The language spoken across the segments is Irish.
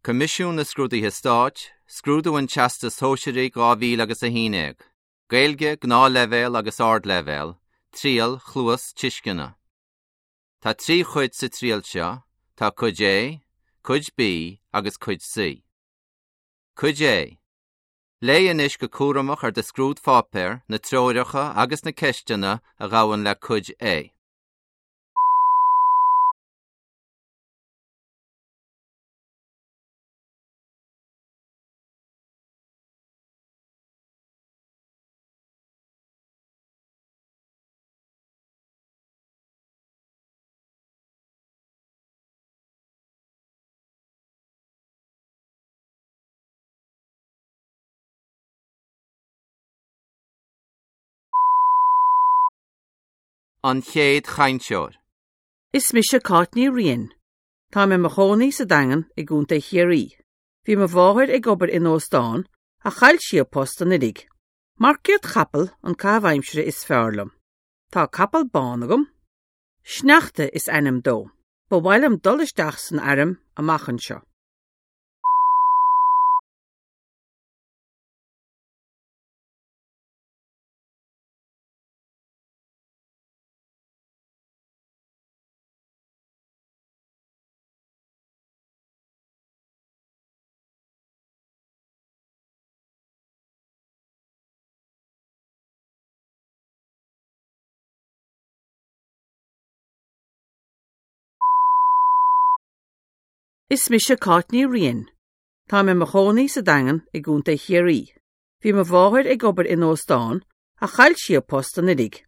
Coimisiún na Scrúduithe Stáit, Scrúdú an Teastais Shóisearaigh 2000 agus 11, Gaeilge, Gnáthleibhéal agus Ardleibhéal, Triail Chluastuisceana. Tá 3 chuid sa triail seo, tá Cuid A, Cuid B agus Cuid C. Cuid A. Léigh anois go cúramach ar do scrúdpháipéar na treoracha agus na ceisteanna a ghabhann le Cuid A. An chéad chainteoir. Is mise Cáit Ní Riain. Táim i mo chónaí sa Daingean i gContae Chiarraí. Bhí mo mháthair ag obair in óstán ach chaill sí a post anuraidh. Marcaíocht chapall an caitheamh aimsire is fearr liom. Tá capall bán agam. Sneachta is ainm dó. Ba mhaith liom dul isteach san airm amach anseo. Is mise Cáit Ní Riain. Táim i mo chónaí sa Daingean i gContae Chiarraí. Bhí mo mháthair ag obair in óstán ach chaill sí a post anuraidh.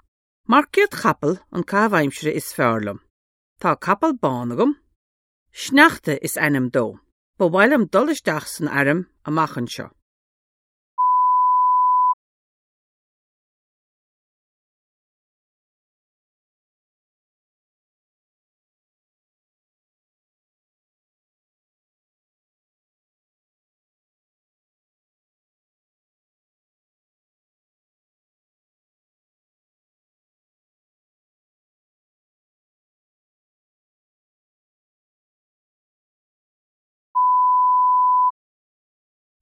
Marcaíocht chapall an caitheamh aimsire is fearr liom. Tá capall bán agam. Sneachta is ainm dó. Ba mhaith liom dul isteach san airm amach anseo.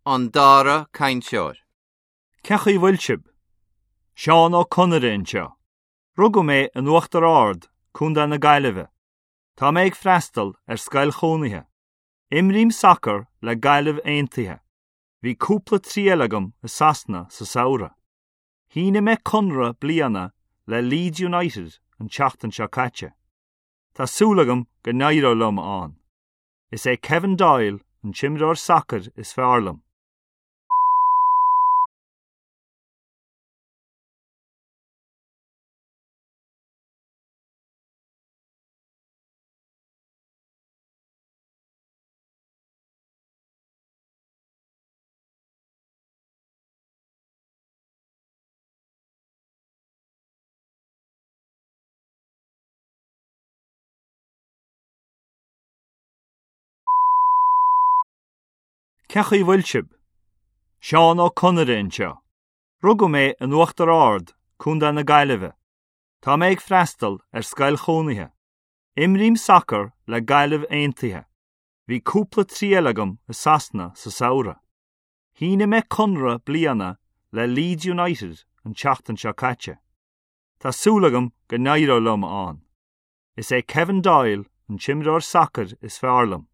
An dara cainteoir. Cén chaoi a bhfuil sibh? Seán Ó Conaire anseo. Rugadh mé in Uachtar Ard, Contae na Gaillimhe. Tá mé ag freastal ar scoil chónaithe. Imrím sacar le Gaillimh Aontaithe. Bhí cúpla triail agam i Sasana sa samhradh. Shínigh mé conradh bliana le Leeds United an tseachtain seo caite. Tá súil agam go n-éireoidh liom ann. Is é Kevin Doyle an t-imreoir sacair is fearr liom. Cén chaoi a bhfuil sibh? Seán Ó Conaire anseo. Rugadh mé in Uachtar Ard, Contae na Gaillimhe. Tá mé ag freastal ar scoil chónaithe. Imrím sacar le Gaillimh Aontaithe. Bhí cúpla triail agam i Sasana sa samhradh. Shínigh mé conradh bliana le Leeds United an tseachtain seo caite. Tá súil agam go n-éireoidh liom ann. Is é Kevin Doyle an t-imreoir sacair is fearr liom.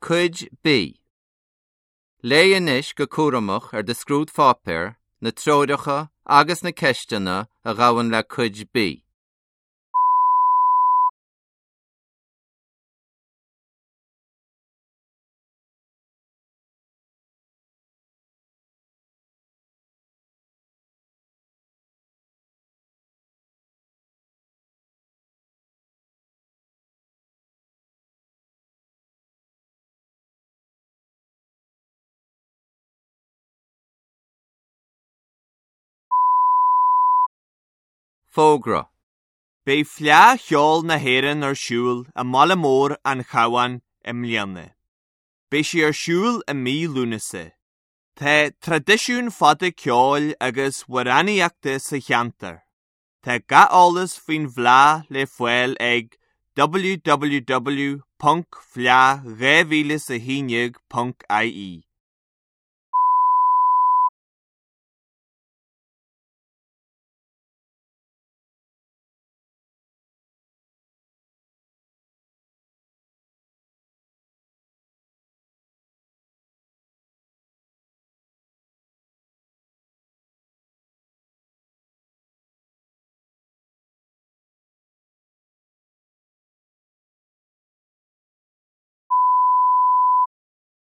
Cuid B. Léigh anois go cúramach ar do scrúdpháipéar na treoracha agus na ceisteanna a ghabhann le Cuid B. Fógra. Beidh Fleadh Cheoil na hÉireann ar siúl i mbaile mór an Chabháin i mbliana. Beidh sí ar siúl i mí Lúnasa. Tá traidisiún fada ceoil agus amhránaíochta sa cheantar. Tá gach eolas faoin bhFleadh le fáil ag www.fleadh2011.ie.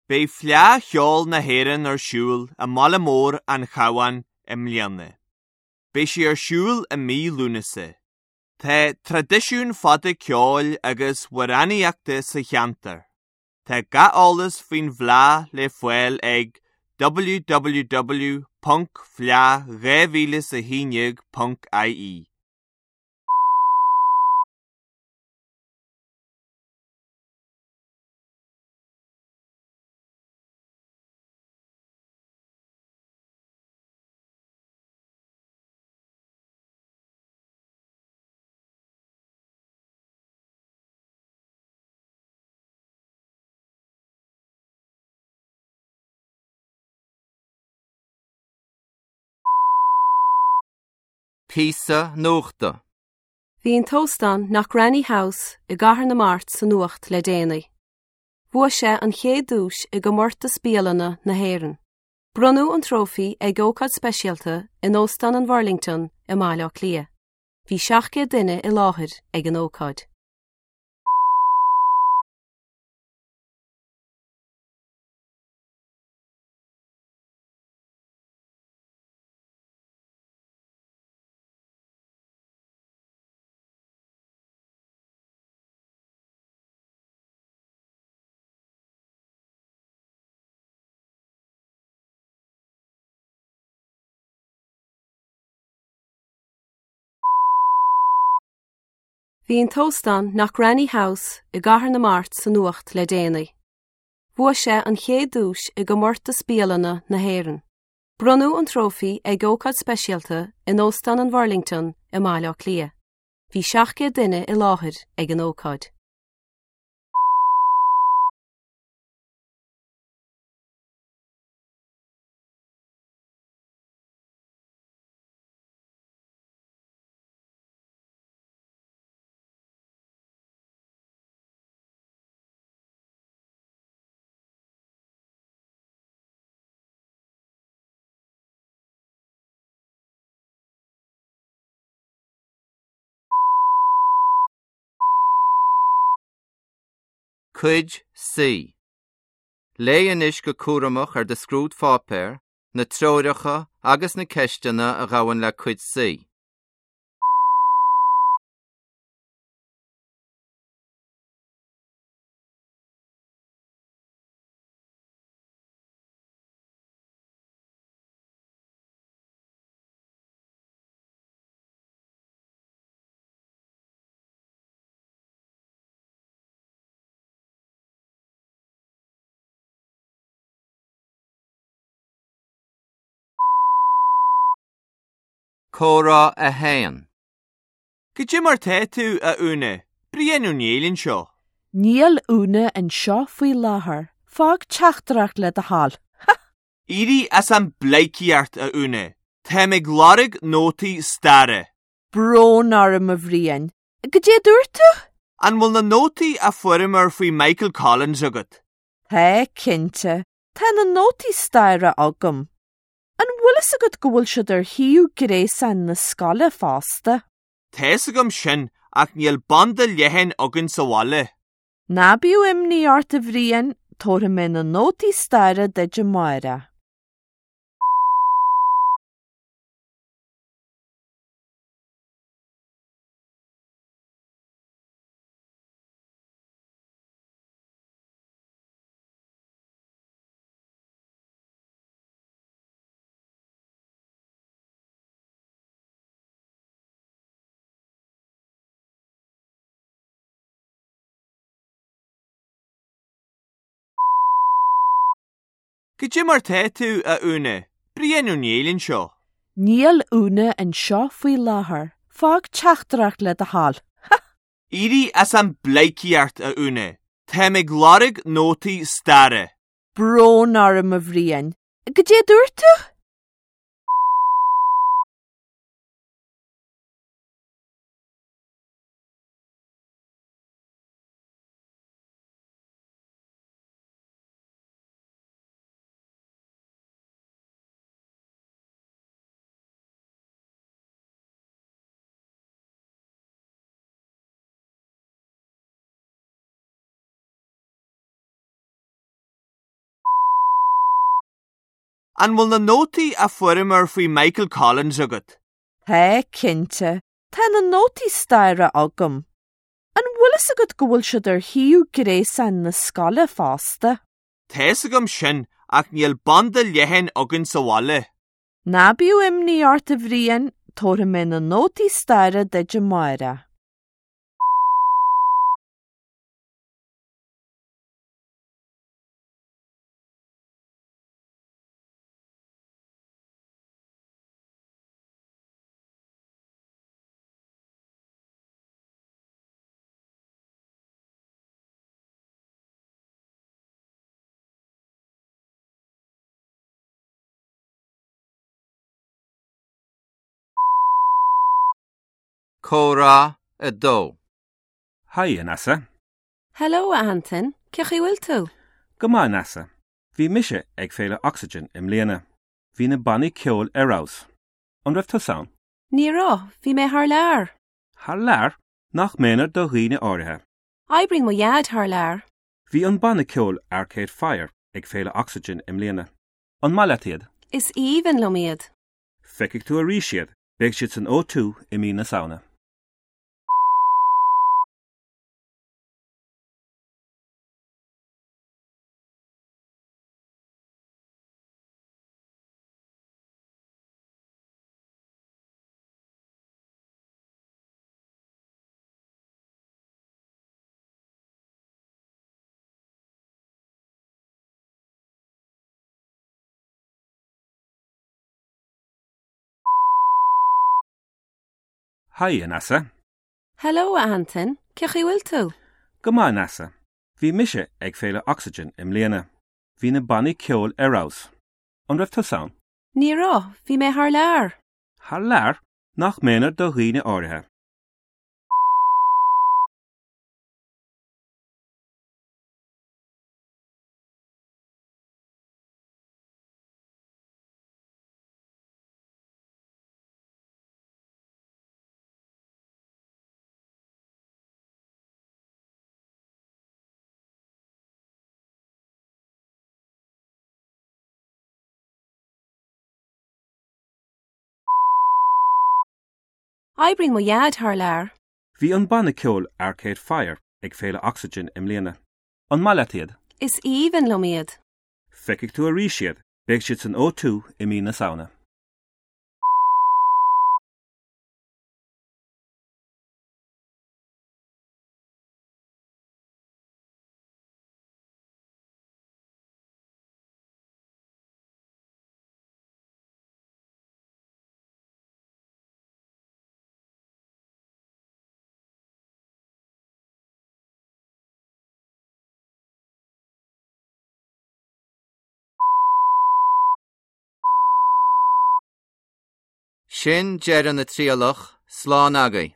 Beidh Fleadh Cheoil na hÉireann ar siúl i mbaile mór an Chabháin i mbliana. Beidh sí ar siúl i mí Lúnasa. Tá traidisiún fada ceoil agus amhránaíochta sa cheantar. Tá gach eolas faoin bhFleadh le fáil ag www.fleadh2011.ie. Píosa Nuachta. Bhí an t-óstán Knockranny House i gCathair na Mart sa nuacht le déanaí. Bhuaigh sé an chéad duais i gcomórtas bialanna na hÉireann. Bronnadh an trófaí ag ócáid speisialta in Óstán an Bhurlington i mBaile Átha Cliath. Bhí 700 duine i láthair ag an ócáid. Bhí an t-óstán Knockranny House i gCathair na Mart sa nuacht le déanaí. Bhuaigh sé an chéad duais i gcomórtas bialanna na hÉireann. Bronnadh an trófaí ag ócáid speisialta in Óstán an Bhurlington i mBaile Átha Cliath. Bhí 700 duine i láthair ag an ócáid. Cuid C. Léigh anois go cúramach ar do scrúdpháipéar na treoracha agus na ceisteanna a ghabhann le Cuid C. Comhrá 1. Goidé mar tá tú, a Úna? Brian Ó Néill anseo. Níl Úna anseo faoi láthair. Fág teachtaireacht le do thoil. Ha! Éirigh as an bpleidhcíocht, a Úna. Táim ag lorg nótaí staire. Brón orm, a Bhriain. Goidé a dúirt tú? An bhfuil na nótaí a fuaireamar faoi Michael Collins agat? Tá, cinnte. Tá na nótaí staire agam. An bhfuil fhios agat go bhfuil siad ar shuíomh gréasáin na scoile fosta? Tá fhios agam sin ach níl banda leathan againn sa bhaile. Ná bíodh imní ort, a Bhriain, tabharfaidh mé na nótaí staire duit amárach. Goidé mar tá tú, a Úna? Brian Ó Néill anseo. Níl Úna anseo faoi láthair. Fág teachtaireacht le do thoil. Éirigh as an bpleidhcíocht, a Úna. Táim ag lorg nótaí staire. Brón orm, a Bhriain. Goidé a dúirt tú? An bhfuil na nótaí a fuaireamar faoi Michael Collins agat? Tá, cinnte. Tá na nótaí staire agam. An bhfuil fhios agat go bhfuil siad ar shuíomh gréasáin na scoile fosta? Tá fhios agam sin ach níl banda leathan againn sa bhaile. Ná bíodh imní ort a Bhriain, tabharfaidh mé na nótaí staire duit amárach. Comhrá 2. Haigh, a Neasa. Hello, a Antain. Cén chaoi a bhfuil tú? Go maith, a Neasa. Bhí mise ag Féile Oxygen i mbliana. Bhí na bannaí ceoil ar fheabhas. An raibh tusa ann? Ní raibh, bhí mé thar lear. Thar lear? Nach méanar do dhaoine áirithe. Oibríonn mo dhaid thar lear. Bhí an banna ceoil Arcade Fire ag Féile Oxygen i mbliana. An maith leat iad? Is aoibhinn liom iad. Feicfidh tú arís iad, beidh siad san O2 i mí na Samhna. Haigh, a Neasa. Hello, a Antain. Cén chaoi a bhfuil tú? Go maith, a Neasa. Bhí mise ag Féile Oxygen i mbliana. Bhí na bannaí ceoil ar fheabhas. An raibh tusa ann? Ní raibh, bhí mé thar lear. Thar lear? Nach méanar do dhaoine áirithe. Oibríonn mo dhaid thar lear. Bhí an banna ceoil Arcade Fire ag Féile Oxygen i mbliana. An maith leat iad? Is aoibhinn liom iad. Feicfidh tú arís iad, beidh siad san O2 i mí na Samhna. Sin deireadh na trialach, slán agaibh.